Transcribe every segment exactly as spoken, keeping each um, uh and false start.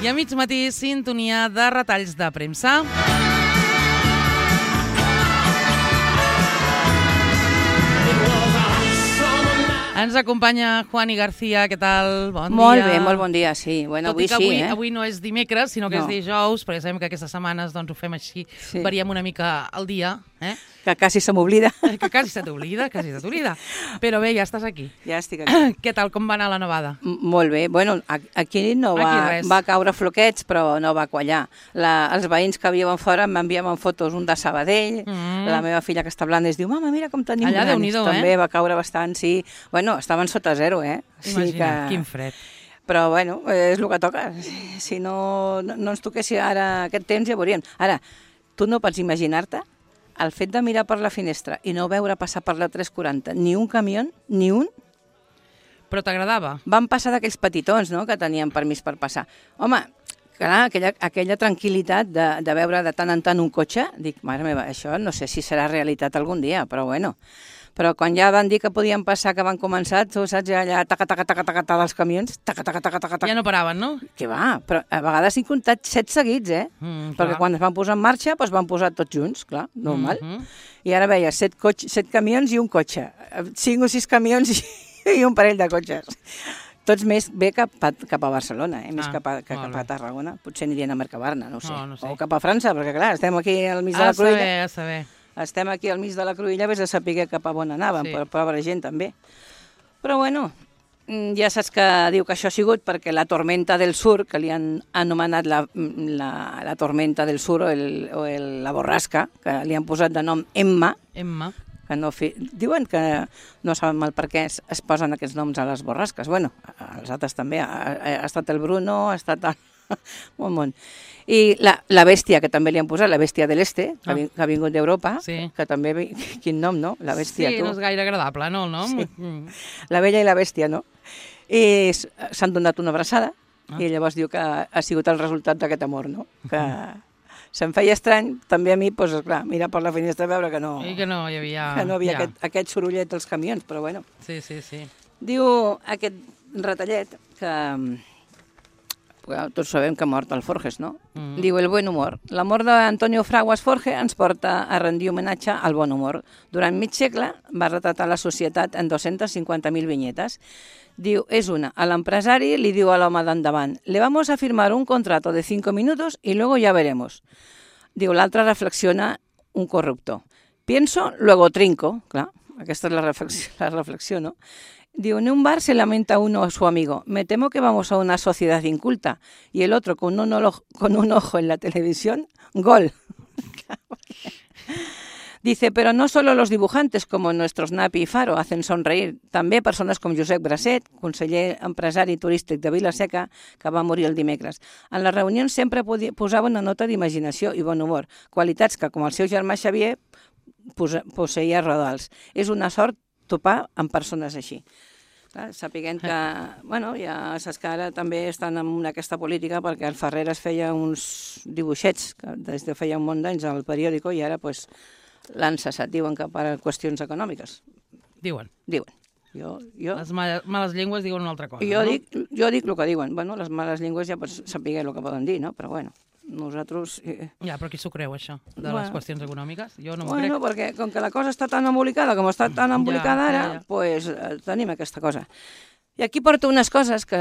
I a mig matí, sintonia de retalls de premsa. Ens acompanya Juani García, què tal? Bon dia. Molt bé, molt bon dia, sí. Bueno, Tot i avui que sí, avui, eh? avui no és dimecres, sinó que No. és dijous, perquè sabem que aquestes setmanes doncs, ho fem així, Sí. variem una mica el dia, eh? Que quasi se m'oblida. que quasi se t'oblida, quasi se t'oblida. Però bé, ja estàs aquí. Ja estic aquí. Què tal, com va anar la nevada? M- Molt bé. Bueno, a- aquí no va, Aquí res. va caure floquets, però no va quallar. La, els veïns que viuen fora m'enviaven fotos, un de Sabadell, Mm. la meva filla que està a Blanes diu, mama, mira com tenim Allà, granes. Déu-n'hi-do, eh? També va caure bastant, sí. Bueno, estaven sota zero, eh? Imagina, quin fred. Però, bueno, és el que toca. Si, si no, no, no ens toqués ara aquest temps, ja veuríem. Ara, tu no pots imaginar-te el fet de mirar per la finestra i no veure passar per la tres quaranta ni un camió, ni un. Però t'agradava? Van passar d'aquells petitons, no?, que tenien permís per passar. Home, clar, aquella, aquella tranquil·litat de, de veure de tant en tant un cotxe, dic, mare meva, això no sé si serà realitat algun dia, però bueno. Però quan ja van dir que podien passar, que van començar, tu saps, ja allà, taca, taca, taca, taca, taca, dels camions, taca, taca, taca, taca, taca. Ja no paraven, no? Què va? Però a vegades he comptat set seguits, eh? Mm, Perquè clar. quan es van posar en marxa, doncs van posar tots junts, clar, normal. Mhm. I ara veia set, cotxe, set camions i un cotxe, cinc o sis camions i, i un parell de cotxes. Tots més bé cap a, cap a Barcelona, eh? més Ah, cap, a, que molt cap a bé. Tarragona. Potser anirien a Mercabarna, no ho sé. No, no sé. O cap a França, perquè clar, estem aquí al mig de A la cruïlla. saber, a saber. Estem aquí al mig de la cruïlla, vés a saber cap a on anàvem, Sí. sí. però pobra gent també. Però bueno, mm, ja saps que diu que això ha sigut perquè la tormenta del sur, que li han anomenat la, la, la tormenta del sur o, el, o el, la borrasca, que li han posat de nom Emma, Emma. que no fi... diuen que no saben mal per què es, es posen aquests noms a les borrasques. Bueno, els altres també. Ha, ha estat el Bruno, ha estat el... un món. I la, la bèstia, que també li han posat, la bèstia de l'Este, que, Ah. ah. que ha vingut d'Europa, Sí. que també... vi- Quin nom, no? La bèstia, Sí, tu. no és gaire agradable, no, el nom? Sí. Mm. La vella i la bèstia, no? I s- s'han donat una abraçada Ah. i llavors diu que ha sigut el resultat d'aquest amor, no? Que se'm feia estrany, també a mi, doncs, clar, mirar per la finestra i veure que no, I que no hi havia... que no havia ja. aquest, aquest sorollet dels camions, però bueno. Sí, sí, sí. Diu aquest retallet que... Bueno, tots sabem que ha mort el Forges, no? Mm. Diu el buen humor. La mort d'Antonio Fraguas Forge ens porta a rendir homenatge al bon humor. Durant mig segle va retratar la societat en dos-centes cinquanta mil vinyetes. Diu, és una, a l'empresari li diu a l'home d'endavant, le vamos a firmar un contrato de cinco minutos y luego ya veremos. Diu, l'altre reflexiona un corruptor. Pienso, luego trinco. Clar, aquesta és la reflexió, la reflexió, no? Diu, en un bar se lamenta uno a su amigo. Me temo que vamos a una sociedad inculta. Y el otro, con un, olo- con un ojo en la televisión, gol. Dice, pero no solo los dibujantes como nuestros Napi y Faro hacen sonreír, també persones com Josep Bracet, conseller empresari turístic de Vila-seca, que va morir el dimecres. En les reunions sempre podia- posava una nota d'imaginació i bon humor, qualitats que, com el seu germà Xavier, posa- posseïa rodals. És una sort topar amb persones així. Clar, sapiguem que, bueno, ja saps que ara també estan en aquesta política perquè el Ferreres feia uns dibuixets que des de feia un munt d'anys al periòdico i ara pues, l'han cessat, diuen que per qüestions econòmiques. Diuen. Diuen. Jo, jo, Les males, males llengües diuen una altra cosa, jo, no? dic, jo dic el que diuen. Bueno, les males llengües ja pots saber el que poden dir, no? Però bueno, nosaltres... Eh, Ja, però qui s'ho creu, això, de les Bueno. qüestions econòmiques? Jo no m'ho Bueno, crec. perquè com que la cosa està tan embolicada com està tan embolicada Ja, ja, ara, ja. pues, eh, tenim aquesta cosa. I aquí porto unes coses que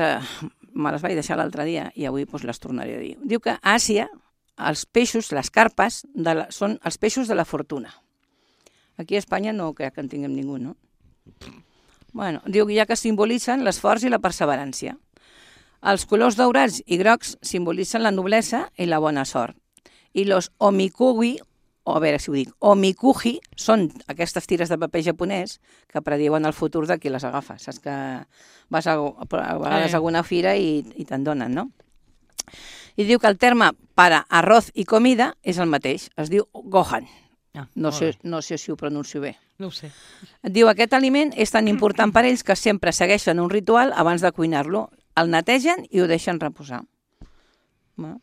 me les vaig deixar l'altre dia i avui pues, les tornaré a dir. Diu que a Àsia els peixos, les carpes, de la, són els peixos de la fortuna. Aquí a Espanya no crec que en tinguem ningú, no? Bueno, diu que ja que simbolitzen l'esforç i la perseverància. Els colors daurats i grocs simbolitzen la noblesa i la bona sort. I los omikugi, o a veure si ho dic, omikuji, són aquestes tires de paper japonès que prediuen el futur de qui les agafa. Saps que vas a, a vegades a alguna fira i, i te'n donen, no? I diu que el terme para arroz i comida és el mateix, es diu gohan. Ah, No molt sé, bé. no sé si ho pronuncio bé. No ho sé. Diu aquest aliment és tan important per ells que sempre segueixen un ritual abans de cuinar-lo. El netegen i ho deixen reposar. Bueno,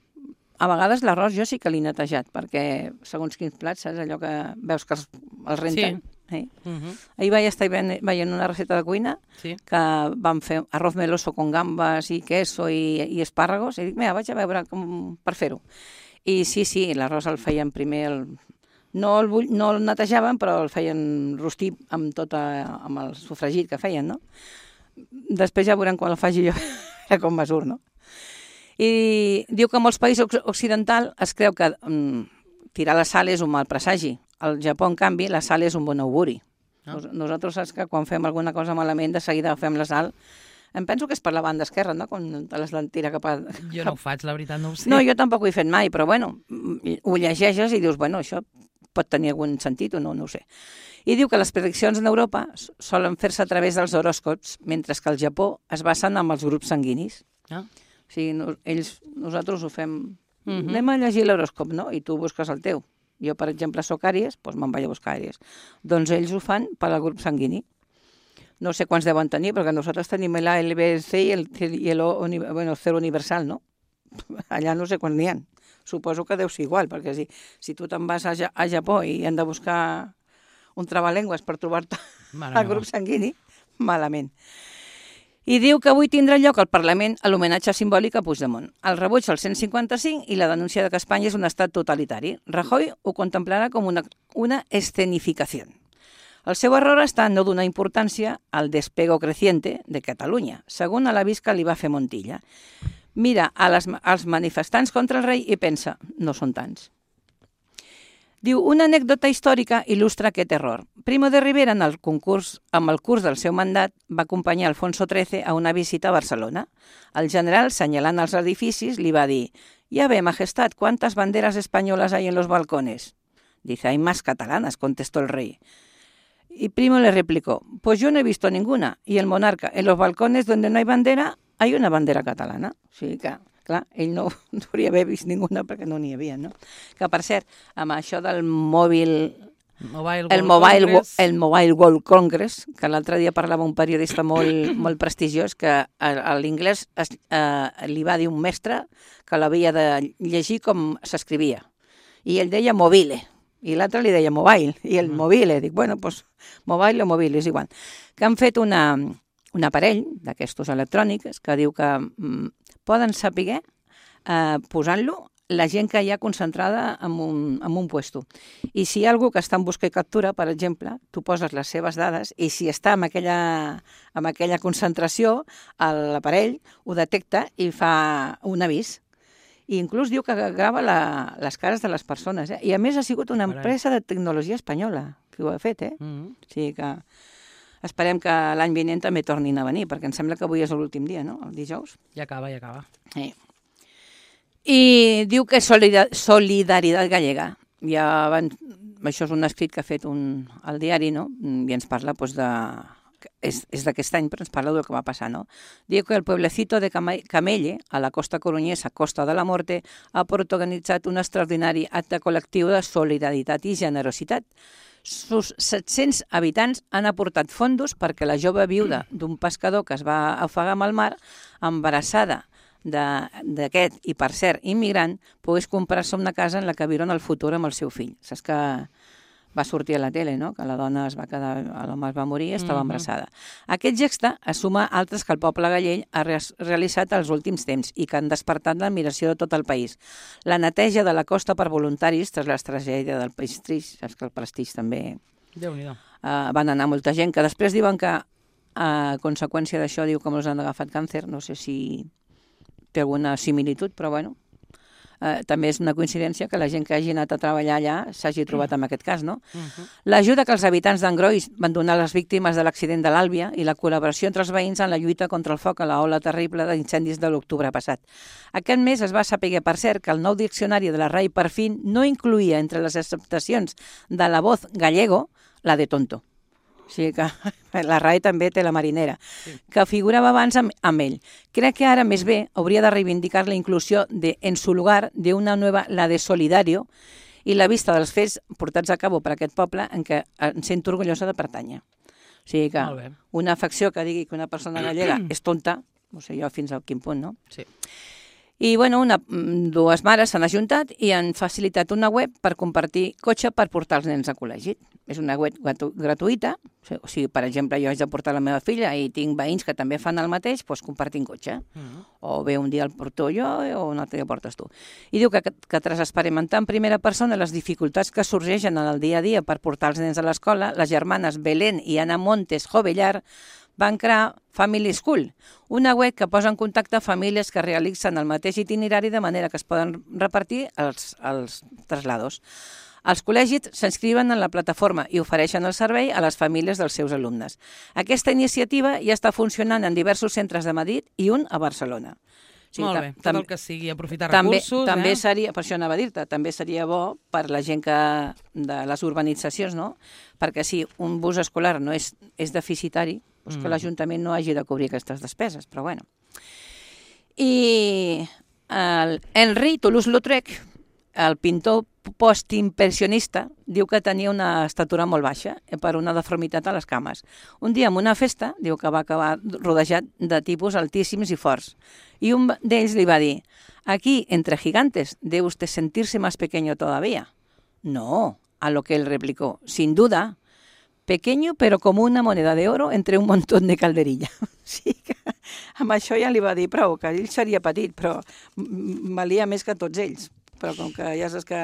a vegades l'arròs jo sí que l'he netejat, perquè segons quins plats, saps allò que veus que els, els renten? Sí. Eh? Uh -huh. Ahir vaig estar veient una recepta de cuina Sí. que vam fer arroz meloso con gambes i queso i, i espàrragos, i dic, mira, vaig a veure com per fer-ho. I sí, sí, l'arròs el feien primer, el... no, el bull... no el netejaven, però el feien rostir amb, tota... amb el sofregit que feien, no? Després ja veurem quan el faci jo com me surt, no? I diu que en molts països occidentals es creu que mm, tirar la sal és un mal presagi. Al Japó, en canvi, la sal és un bon auguri. Ah. Nos, nosaltres saps que quan fem alguna cosa malament, de seguida fem la sal. Em penso que és per la banda esquerra, no? Quan te les tira cap a... Jo no ho faig, la veritat, no ho sé. No, jo tampoc ho he fet mai, però bueno, ho llegeixes i dius, bueno, això pot tenir algun sentit o no, no ho sé. I diu que les prediccions en Europa solen fer-se a través dels horòscops, mentre que al Japó es basen en els grups sanguinis. Ah. O sigui, no, ells, nosaltres ho fem... Uh -huh. Anem a llegir l'horòscop, no? I tu busques el teu. Jo, per exemple, soc Àries, doncs me'n vaig a buscar Àries. Doncs ells ho fan per al grup sanguini. No sé quants deuen tenir, perquè nosaltres tenim l'A, el B, el C i el, i el, o, bueno, el cero universal, no? Allà no sé quants n'hi ha. Suposo que deu ser igual, perquè si, si tu te'n vas a, a Japó i han de buscar un trabalengües per trobar-te al grup sanguini, malament. I diu que avui tindrà lloc al Parlament l'homenatge simbòlic a Puigdemont, el rebuig al cent cinquanta-cinc i la denúncia de que Espanya és un estat totalitari. Rajoy ho contemplarà com una, una escenificació. El seu error està en no donar importància al despego creciente de Catalunya, segons l'avís que li va fer Montilla. Mira a les, als manifestants contra el rei i pensa, no són tants. Diu, una anècdota històrica il·lustra aquest error. Primo de Rivera, en el concurs, amb el curs del seu mandat, va acompanyar Alfonso trece a una visita a Barcelona. El general, senyalant els edificis, li va dir, «Ya ve, majestad, ¿cuántas banderas españolas hay en los balcones?» Dice, «Hay más catalanas», contestó el rey. Y Primo le replicó, «Pues yo no he visto ninguna». Y el monarca, «En los balcones donde no hay bandera, hay una bandera catalana». O sigui que... Clar, ell no, no hauria haver vist ninguna perquè no n'hi havia, no? Que, per cert, amb això del mòbil... Mobile el, mobile, el Mobile World Congress, que l'altre dia parlava un periodista molt, molt prestigiós, que a, a l'inglès eh, li va dir un mestre que l'havia de llegir com s'escrivia. I ell deia mobile, i l'altre li deia mobile, i el mobile. Dic, bueno, doncs mobile o mobile, és igual. Que han fet una, un aparell d'aquestos electrònics que diu que... Mm, poden saber, eh, posant-lo, la gent que hi ha concentrada en un, en un puesto. I si hi ha algú que està en busca i captura, per exemple, tu poses les seves dades i si està en aquella, en aquella concentració, l'aparell ho detecta i fa un avís. I inclús diu que grava la, les cares de les persones. Eh? I a més ha sigut una empresa de tecnologia espanyola que ho ha fet. Eh? Mm-hmm. O sigui que... Esperem que l'any vinent també tornin a venir, perquè em sembla que avui és l'últim dia, no? El dijous. Ja acaba, ja acaba. Sí. I diu que solidaritat gallega. Ja van... Això és un escrit que ha fet un... al diari, no? I ens parla doncs, de... És, és d'aquest any, però ens parla del que va passar, no? Diu que el pueblecito de Camelle, a la costa coruñesa, Costa de la Morte, ha protagonitzat un extraordinari acte col·lectiu de solidaritat i generositat. Sus set-cents habitants han aportat fondos perquè la jove viuda d'un pescador que es va ofegar amb el mar, embarassada d'aquest i, per cert, immigrant, pogués comprar-se una casa en la que viure en el futur amb el seu fill. Saps que va sortir a la tele, no? Que la dona es va quedar, l'home es va morir i estava embarassada. Aquest geste es suma a altres que el poble gallec ha realitzat els últims temps i que han despertat l'admiració de tot el país. La neteja de la costa per voluntaris tras la tragèdia del Prestigi, saps que el Prestigi també... Déu-n'hi-do. Uh, van anar molta gent, que després diuen que a conseqüència d'això diu que molts han agafat càncer, no sé si té alguna similitud, però bueno... Uh, també és una coincidència que la gent que hagi anat a treballar allà s'hagi trobat amb aquest cas, no? Uh-huh. L'ajuda que els habitants d'Angrois van donar a les víctimes de l'accident de l'Àlbia i la col·laboració entre els veïns en la lluita contra el foc a l'ola terrible d'incendis de l'octubre passat. Aquest mes es va saber, per cert, que el nou diccionari de la R A I per fin no incluïa entre les acceptacions de la voz gallego la de tonto. O sigui que la R A I també té la marinera, sí. Que figurava abans amb, amb ell. Crec que ara, més bé, hauria de reivindicar la inclusió de, en su lugar d'una nova, la de Solidario, i la vista dels fets portats a cabo per aquest poble en què em sento orgullosa de pertànyer. O sigui que una afecció que digui que una persona gallega és tonta, no sé jo fins a quin punt, no? Sí. I, bueno, una, dues mares s'han ajuntat i han facilitat una web per compartir cotxe per portar els nens a col·legi. És una web gratu gratuïta, o sigui, per exemple, jo haig de portar la meva filla i tinc veïns que també fan el mateix, doncs compartim cotxe. Mm. O bé un dia el porto jo o un altre dia portes tu. I diu que, que tras experimentar en primera persona les dificultats que sorgeixen en el dia a dia per portar els nens a l'escola, les germanes Belén i Ana Montes Jovellar van crear Family School, una web que posa en contacte famílies que realitzen el mateix itinerari de manera que es poden repartir els, els traslados. Els col·legis s'inscriuen en la plataforma i ofereixen el servei a les famílies dels seus alumnes. Aquesta iniciativa ja està funcionant en diversos centres de Madrid i un a Barcelona. Sí, Molt bé, tot el que sigui, aprofitar també, recursos. També eh? seria, per això anava a dir-te, també seria bo per la gent que, de les urbanitzacions, no? Perquè si un bus escolar no és, és deficitari, doncs mm. que l'Ajuntament no hagi de cobrir aquestes despeses, però bueno. I el Henri Toulouse-Lautrec, el pintor postimpressionista, diu que tenia una estatura molt baixa per una deformitat a les cames. Un dia en una festa, diu que va acabar rodejat de tipus altíssims i forts. I un d'ells li va dir: «Aquí, entre gigantes, debe usted sentirse más pequeño todavía». «No», a lo que él replicó, «sin duda, pequeño pero como una moneda de oro entre un montón de calderilla». Sí que amb això ja li va dir prou, que ell seria petit, però valia més que tots ells. Però com que ja saps que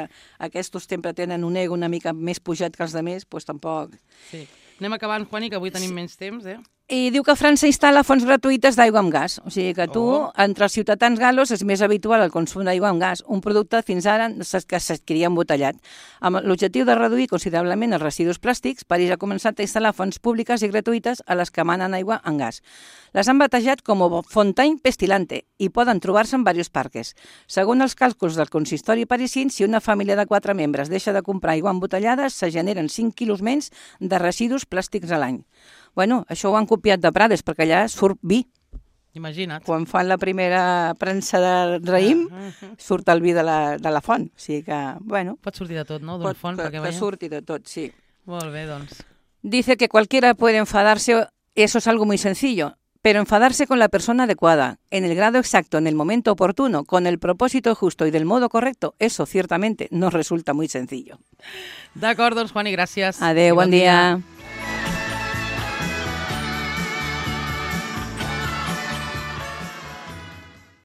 aquests sempre tenen un ego una mica més pujat que els altres, doncs tampoc... Sí. Anem acabant, Juani, que avui tenim sí. menys temps, eh? I diu que França instal·la fonts gratuïtes d'aigua amb gas. O sigui que tu, oh. entre els ciutadans galos, és més habitual el consum d'aigua amb gas, un producte fins ara que s'adquiria embotellat. Amb l'objectiu de reduir considerablement els residus plàstics, París ha començat a instal·lar fonts públiques i gratuïtes a les que emanen aigua amb gas. Les han batejat com a Fontaine Pestilante i poden trobar-se en diversos parques. Segons els càlculs del consistori parisien, si una família de quatre membres deixa de comprar aigua embotellada, se generen cinc quilos menys de residus plàstics a l'any. Bueno, això ho han copiat de Prades, perquè allà surt vi. Imagina't. Quan fan la primera premsa de raïm, surt el vi de la, de la font. O sigui que, bueno... Pot sortir de tot, no?, d'una font. Pot, que surti de tot, sí. Molt bé, doncs. Dice que cualquiera puede enfadarse, eso es algo muy sencillo, pero enfadarse con la persona adecuada, en el grado exacto, en el momento oportuno, con el propósito justo y del modo correcto, eso ciertamente nos resulta muy sencillo. D'acord, doncs, Juani, gràcies. Adéu, bon, bon dia. dia.